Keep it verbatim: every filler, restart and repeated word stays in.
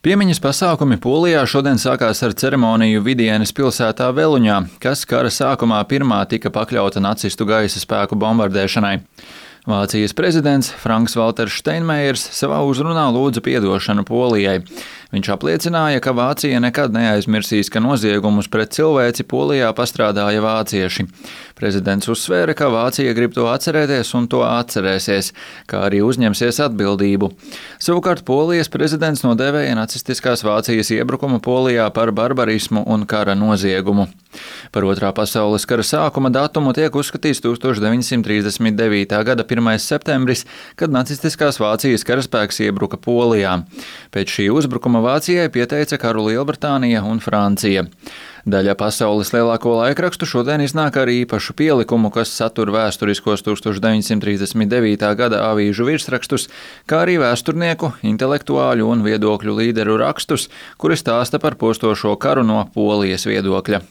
Piemiņas pasākumi Polijā šodien sākās ar ceremoniju Vidienes pilsētā Veluņā, kas kara sākumā pirmā tika pakļauta nacistu gaisa spēku bombardēšanai. Vācijas prezidents Franks Valters Steinmeiers savā uzrunā lūdza piedošanu Polijai. Viņš apliecināja, ka Vācija nekad neaizmirsīs, ka noziegumus pret cilvēci Polijā pastrādāja vācieši. Prezidents uzsvēra, ka Vācija grib to atcerēties un to atcerēsies, kā arī uzņemsies atbildību. Savukārt Polijas prezidents nodēvēja nacistiskās Vācijas iebrukumu Polijā par barbarismu un kara noziegumu. Par otrā pasaules kara sākuma datumu tiek uzskatīts tūkstoš deviņsimt trīsdesmit devītā gada pirmais septembris, kad nacistiskās Vācijas karaspēks iebruka Polijā. Pēc šī uzbrukuma Vācijai pieteica karu Lielbritānija un Francija. Daļa pasaules lielāko laikrakstu šodien iznāk ar īpašu pielikumu, kas satur vēsturiskos tūkstoš deviņsimt trīsdesmit devītā gada avīžu virsrakstus, kā arī vēsturnieku, intelektuāļu un viedokļu līderu rakstus, kuri stāsta par postošo karu no Polijas viedokļa.